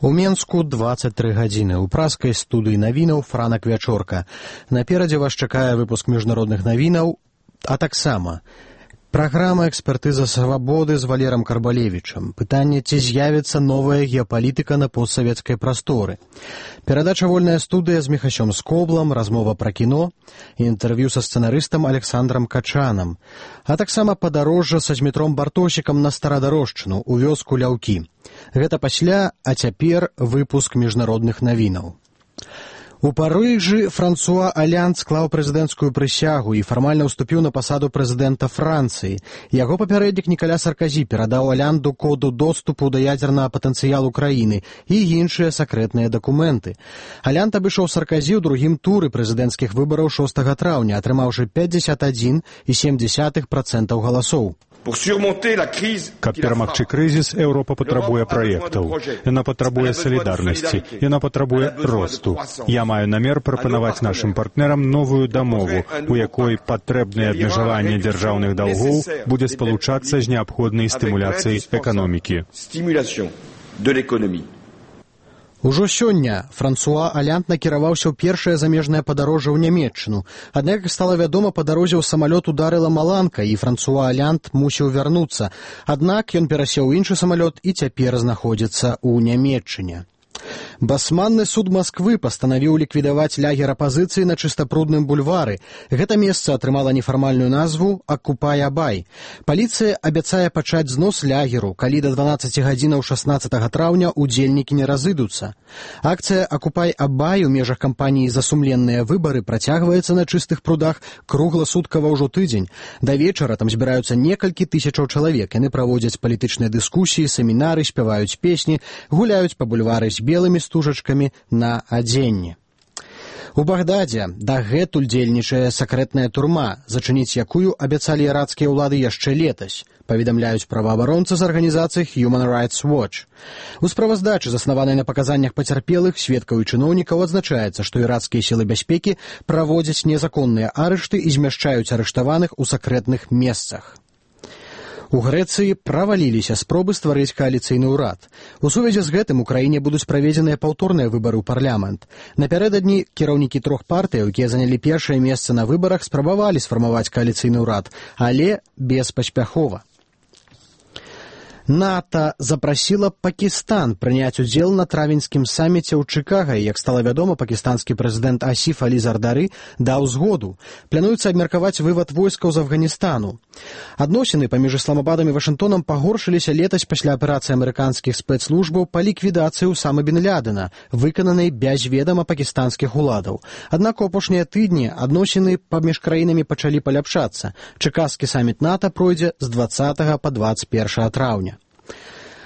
У Менску 23 гадзіны. У праскай студыі навінаў Франак Вячорка. Наперадзе вас чакае выпуск міжнародных навінаў, а таксама праграма «Экспертыза свабоды» з Валерам Карбалевічам. Пытанне, ці з'явіцца новая геапалітыка на постсавецкай прасторы. Перадача «Вольная студыя» з Міхасём Скоблам, размова пра кіно, інтэрв'ю са сцэнарыстам Александрам Качанам, а таксама падарожжа са Змітром Бартосікам на Старадарожчыну, у вёску Ляўкі. Гэта пасля, а цяпер выпуск міжнародных навінаў. У Парыжы Франсуа Аллянд склаў прэзідэнцкую прысягу і фармальна ўступіў на пасаду прэзідэнта Францыі. Яго папярэднік Нікаля Сарказі перадаў Аллянду коду доступу да ядзернага патэнцыялу краіны і іншыя сакрэтныя дакументы. Аллянд абышоў Сарказі ў другім туры прэзідэнцкіх выбараў 6 траўня, атрымаўшы 51,7% галасоў. Каб перамагчы крызіс, Еўропа патрабуе праектаў. Яна патрабуе салідарнасці, яна патрабуе росту. Я маю намер прапанаваць нашым партнерам новую дамову, у якой патрэбнае абмежаванне дзяржаўных даўгоў будзе спалучацца з неабходнай стымуляцыяй эканомікі. Ужо сёння Франсуа Аллянд накіраваўся ў першае замежнае падарожжа ў Нямецчыну. Аднак, як стала вядома, па дарозе ў самалёт ударыла маланка, і Франсуа Аллянд мусіў вярнуцца. Аднак ён перасеў у іншы самалёт і цяпер знаходзіцца ў Нямецчыне. Басманны суд Масквы пастанавіў ліквідаваць лагер апазіцыі на Чыстапрудным бульвары. Гэта месца атрымала нефармальную назву «Акупай-Абай». Паліцыя абяцае пачаць знос лагеру, калі да 12 гадзінаў 16 траўня удзельнікі не разыдуцца. Акцыя «Акупай-Абай» у межах кампаніі «За сумленныя выбары» працягваецца на Чыстых прудах кругласуткава ўжо тыдзень. Да вечара там збіраюцца некалькі тысячаў чалавек. Яны праводзяць палітычныя дыскусіі, семінары, спяваюць песні, гуляюць па бульвары з белымі стужачкамі на адзенні. У Багдадзе дагэтуль дзейнічае сакрэтная турма, зачыніць якую абяцалі ірацкія ўлады яшчэ летась, паведамляюць праваабаронцы з арганізацыі Human Rights Watch. У справаздачы, заснаванай на паказаннях пацярпелых, сведкаў і чыноўнікаў, адзначаецца, што ірацкія сілы бяспекі праводзяць незаконныя арышты і змяшчаюць арыштаваных у сакрэтных месцах. У Грэцыі праваліліся спробы стварыць кааліцыйны ўрад. У сувязі з гэтым у краіне будуць праведзеныя паўторныя выбары ў парламент. Напярэдадні кіраўнікі трох партыяў, якія занялі першае месца на выбарах, спрабавалі сфармаваць кааліцыйны ўрад, але беспаспяхова. НАТО запрасіла Пакістан прыняць удзел на травеньскім саміце ў Чыкага, і, як стала вядома, пакістанскі прэзідэнт Асіф Алі Зардары даў згоду. Плануецца абмеркаваць вывад войскаў з Афганістanu. Адносіны паміж Ісламабадам і Вашынгтонам пагоршыліся летась пасля аперацыі амерыканскіх спецслужбаў па ліквідацыі Усамы бін Лядена, выкананай без ведама пакістанскіх уладаў. Аднак у апошнія тыдні адносіны паміж краінамі пачалі паляпшацца. Чыкаскі саміт НАТО пройдзе з 20 па 21 траўня.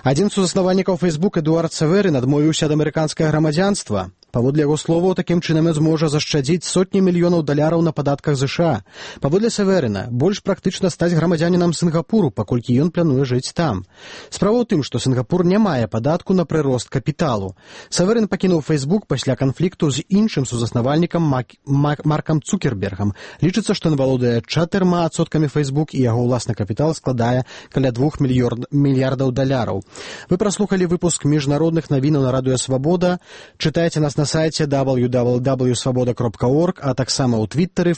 Адзін з заснавальнікаў Facebook Эдуард Саверын адмовіўся ад амерыканскага грамадзянства. Паводле яго словаў, такім чынам ён зможа зашчадзіць сотні мільёнаў даляраў на падатках ЗША. Паводле Саверына, больш практычна стаць грамадзянінам Сінгапуру, паколькі ён плануе жыць там. Справа ў тым, што Сінгапур не мае падатку на прырост капіталу. Саверын пакінуў Facebook пасля канфлікту з іншым сузаснавальнікам Маркам Цукербергам. Лічыцца, што ён валодае 4% Facebook і яго ўласны капітал складае каля 2 мільярдаў даляраў. Вы праслухалі выпуск міжнародных навінаў на Радыё Свабода. Чытайце нас на сайце www.svoboda.org, а таксама ў Твиттары,